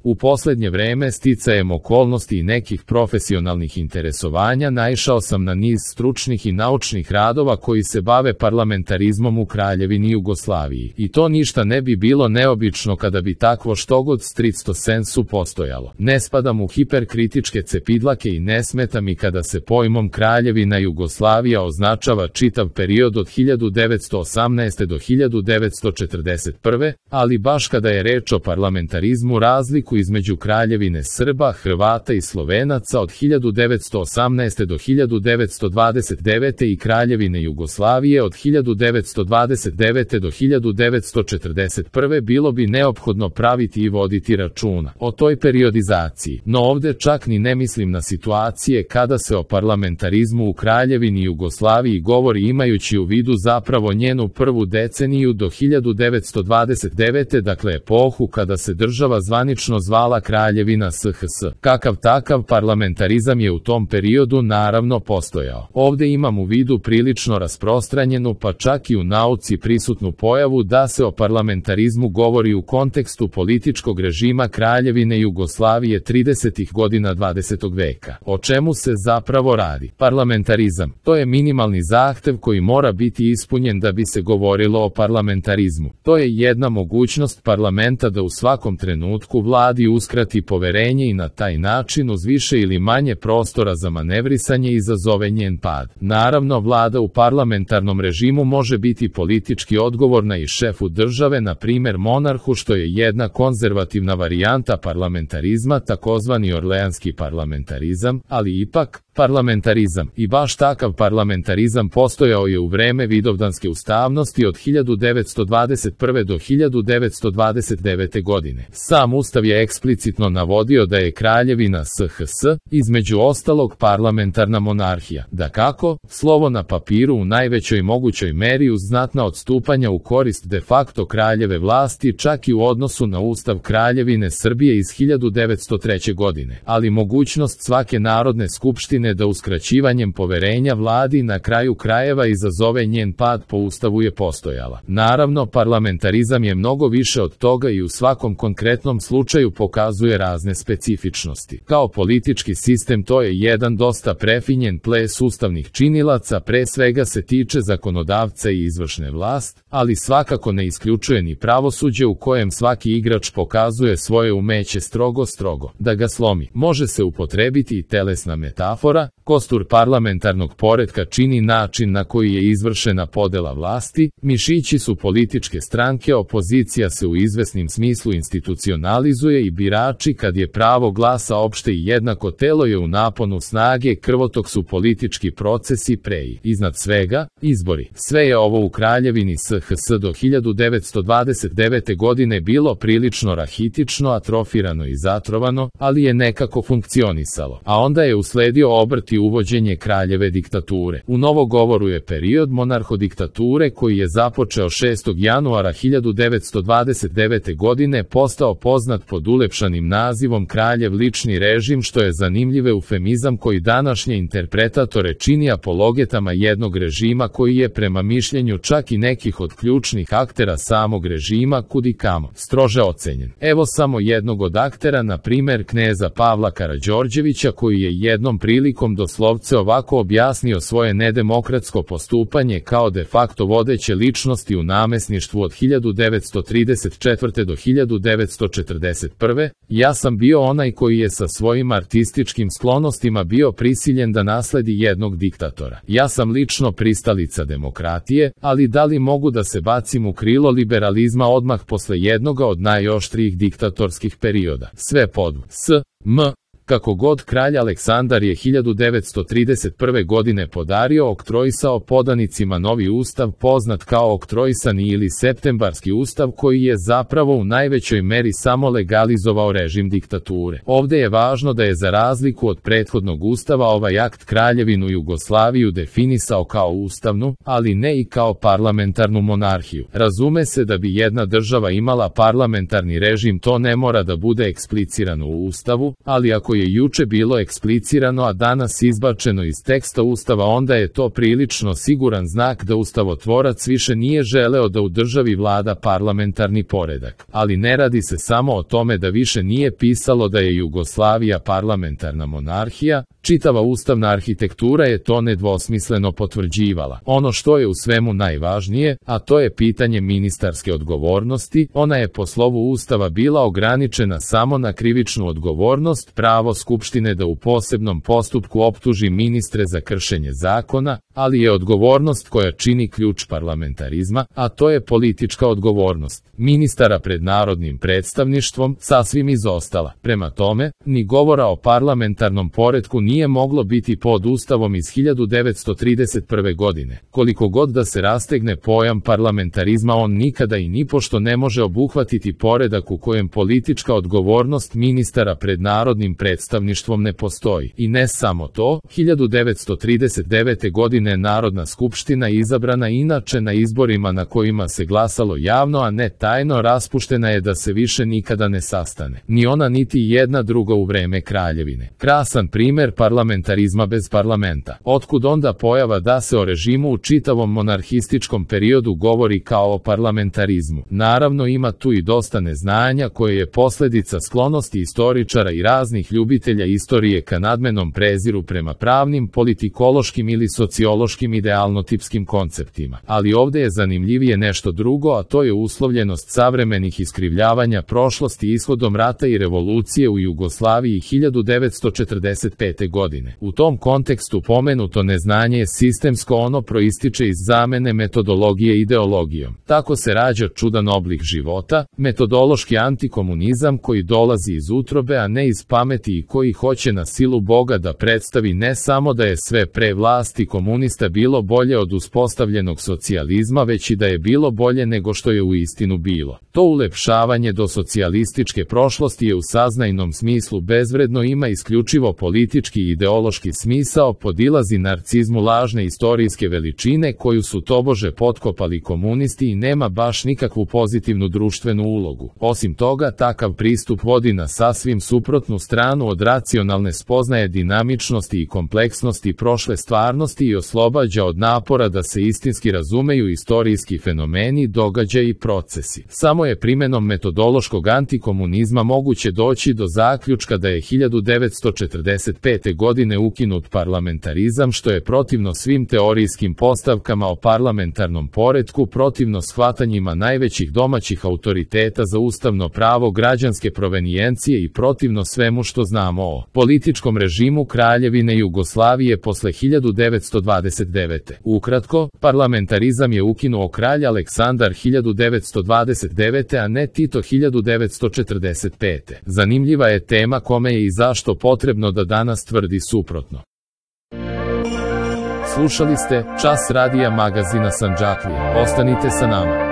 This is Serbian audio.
U posljednje vreme sticajem okolnosti i nekih profesionalnih interesovanja naišao sam na niz stručnih i naučnih radova koji se bave parlamentarizmom u Kraljevini Jugoslaviji. I to ništa ne bi bilo neobično kada bi takvo štogod stricto sensu postojalo. Ne spadam u hiperkritičke cepidlake i ne smeta mi kada se pojmom Kraljevina Jugoslavija označava čitav period od 1918. do 1941. Ali baš kada je reč o parlamentarizmu razliku između Kraljevine Srba, Hrvata i Slovenaca od 1918. do 1929. i Kraljevine Jugoslavije od 1929. do 1941. bilo bi neophodno praviti i voditi računa o toj periodizaciji. No ovde čak ni ne mislim na situacije kada se o parlamentarizmu u Kraljevini Jugoslaviji govori imajući u vidu zapravo njenu prvu deceniju do 1929. dakle epohu kada se država zvanično zvala Kraljevina SHS. Kakav takav parlamentarizam je u tom periodu naravno postojao. Ovde imam u vidu prilično rasprostranjenu pa čak i u nauci prisutnu pojavu da se o parlamentarizmu govori u kontekstu političkog režima Kraljevine Jugoslavije 30. godina 20. veka. O čemu se zapravo radi? Parlamentarizam. To je minimalni zahtev koji mora biti ispunjen da bi se govorilo o parlamentarizmu. To je jedna mogućnost parlamenta da u svakom trenutku vladi uskrati poverenje i na taj način uz više ili manje prostora za manevrisanje izazove njen pad. Naravno, vlada u parlamentarnom režimu može biti politički odgovorna i šefu države, na primjer monarhu, što je jedna konzervativna varijanta parlamentarizma, takozvani orleanski parlamentarizam, ali ipak, parlamentarizam. I baš takav parlamentarizam postojao je u vreme Vidovdanske ustavnosti od 1921. do 1929. godine. Sam ustav je eksplicitno navodio da je Kraljevina SHS, između ostalog, parlamentarna monarhija. Dakako, slovo na papiru u najvećoj mogućoj meri uz znatna odstupanja u korist de facto kraljeve vlasti čak i u odnosu na ustav Kraljevine Srbije iz 1903. godine. Ali mogućnost svake narodne skupštine da uskraćivanjem poverenja vladi na kraju krajeva izazove njen pad po ustavu je postojala. Naravno, parlamentarizam je mnogo više od toga i u svakom konkretnom slučaju pokazuje razne specifičnosti. Kao politički sistem to je jedan dosta prefinjen ples ustavnih činilaca, pre svega se tiče zakonodavca i izvršne vlast, ali svakako ne isključuje ni pravosuđe u kojem svaki igrač pokazuje svoje umeće strogo da ga slomi. Može se upotrebiti i telesna metafora, kostur parlamentarnog poretka čini način na koji je izvršena podela vlasti, mišići su političke stranke, opozicija se u izvesnim smislu institucionalizuje i birači kad je pravo glasa opšte i jednako telo je u naponu snage, krvotok su politički procesi pre i iznad svega, izbori. Sve je ovo u Kraljevini SHS do 1929. godine bilo prilično rahitično, atrofirano i zatrovano, ali je nekako funkcionisalo. A onda je usledio obrt i uvođenje kraljeve diktature. U novogovoru je period monarhodiktature koji je započeo 6. januara 1929. godine postao poznat pod ulepšanim nazivom kraljev lični režim, što je zanimljiv eufemizam koji današnje interpretatore čini apologetama jednog režima koji je prema mišljenju čak i nekih od ključnih aktera samog režima kudikamo strože ocenjen. Evo samo jednog od aktera, na primer kneza Pavla Karađorđevića, koji je jednom prilikom doslovce ovako objasnio svoje nedemokratsko postupanje kao de facto vodeće ličnosti u namesništvu od 1934. do 1941. Ja sam bio onaj koji je sa svojim artističkim sklonostima bio prisiljen da nasledi jednog diktatora. Ja sam lično pristalica demokratije, ali da li mogu da se bacim u krilo liberalizma odmah posle jednoga od najoštrijih diktatorskih perioda? Sve pod Kako god, kralj Aleksandar je 1931. godine podario, oktroisao podanicima novi ustav poznat kao oktroisani ili septembarski ustav, koji je zapravo u najvećoj meri samo legalizovao režim diktature. Ovde je važno da je za razliku od prethodnog ustava ovaj akt Kraljevinu Jugoslaviju definisao kao ustavnu, ali ne i kao parlamentarnu monarhiju. Razume se da bi jedna država imala parlamentarni režim, to ne mora da bude eksplicirano u ustavu, ali ako je juče bilo eksplicirano, a danas izbačeno iz teksta Ustava, onda je to prilično siguran znak da ustavotvorac više nije želeo da u državi vlada parlamentarni poredak. Ali ne radi se samo o tome da više nije pisalo da je Jugoslavija parlamentarna monarhija, čitava ustavna arhitektura je to nedvosmisleno potvrđivala. Ono što je u svemu najvažnije, a to je pitanje ministarske odgovornosti, ona je po slovu Ustava bila ograničena samo na krivičnu odgovornost, pravo Skupštine da u posebnom postupku optuži ministre za kršenje zakona, ali je odgovornost koja čini ključ parlamentarizma, a to je politička odgovornost ministara pred narodnim predstavništvom, sasvim izostala. Prema tome, ni govora o parlamentarnom poretku nije moglo biti pod Ustavom iz 1931. godine. Koliko god da se rastegne pojam parlamentarizma, on nikada i nipošto ne može obuhvatiti poredak u kojem politička odgovornost ministara pred narodnim predstavništvom ne postoji. I ne samo to, 1939. godine Narodna skupština izabrana inače na izborima na kojima se glasalo javno, a ne tajno, raspuštena je da se više nikada ne sastane. Ni ona niti jedna druga u vreme kraljevine. Krasan primer parlamentarizma bez parlamenta. Otkud onda pojava da se o režimu u čitavom monarhističkom periodu govori kao o parlamentarizmu? Naravno, ima tu i dosta neznanja koje je posljedica sklonosti istoričara i raznih ljubitelja istorije ka nadmenom preziru prema pravnim, politikološkim ili sociološkim idealnotipskim konceptima. Ali ovdje je zanimljivije nešto drugo, a to je uslovljenost savremenih iskrivljavanja prošlosti ishodom rata i revolucije u Jugoslaviji 1945. godine. U tom kontekstu pomenuto neznanje je sistemsko, ono proističe iz zamene metodologije ideologijom. Tako se rađa čudan oblik života, metodološki antikomunizam koji dolazi iz utrobe, a ne iz pameti, i koji hoće na silu Boga da predstavi ne samo da je sve pre vlasti komunista bilo bolje od uspostavljenog socijalizma, već i da je bilo bolje nego što je u istinu bilo. To ulepšavanje do socijalističke prošlosti je u saznajnom smislu bezvredno, ima isključivo politički i ideološki smisao, podilazi narcizmu lažne istorijske veličine koju su tobože potkopali komunisti i nema baš nikakvu pozitivnu društvenu ulogu. Osim toga, takav pristup vodi na sasvim suprotnu stranu od racionalne spoznaje dinamičnosti i kompleksnosti prošle stvarnosti i oslobađa od napora da se istinski razumeju istorijski fenomeni, događaji i procesi. Samo je primenom metodološkog antikomunizma moguće doći do zaključka da je 1945. godine ukinut parlamentarizam, što je protivno svim teorijskim postavkama o parlamentarnom poretku, protivno shvatanjima najvećih domaćih autoriteta za ustavno pravo građanske provenijencije i protivno svemu što znamo o političkom režimu Kraljevine Jugoslavije posle 1929. Ukratko, parlamentarizam je ukinuo kralj Aleksandar 1929. a ne Tito 1945. Zanimljiva je tema kome je i zašto potrebno da danas tvrdi suprotno. Slušali ste Čas radija magazina Sandžaklija. Ostanite sa nama.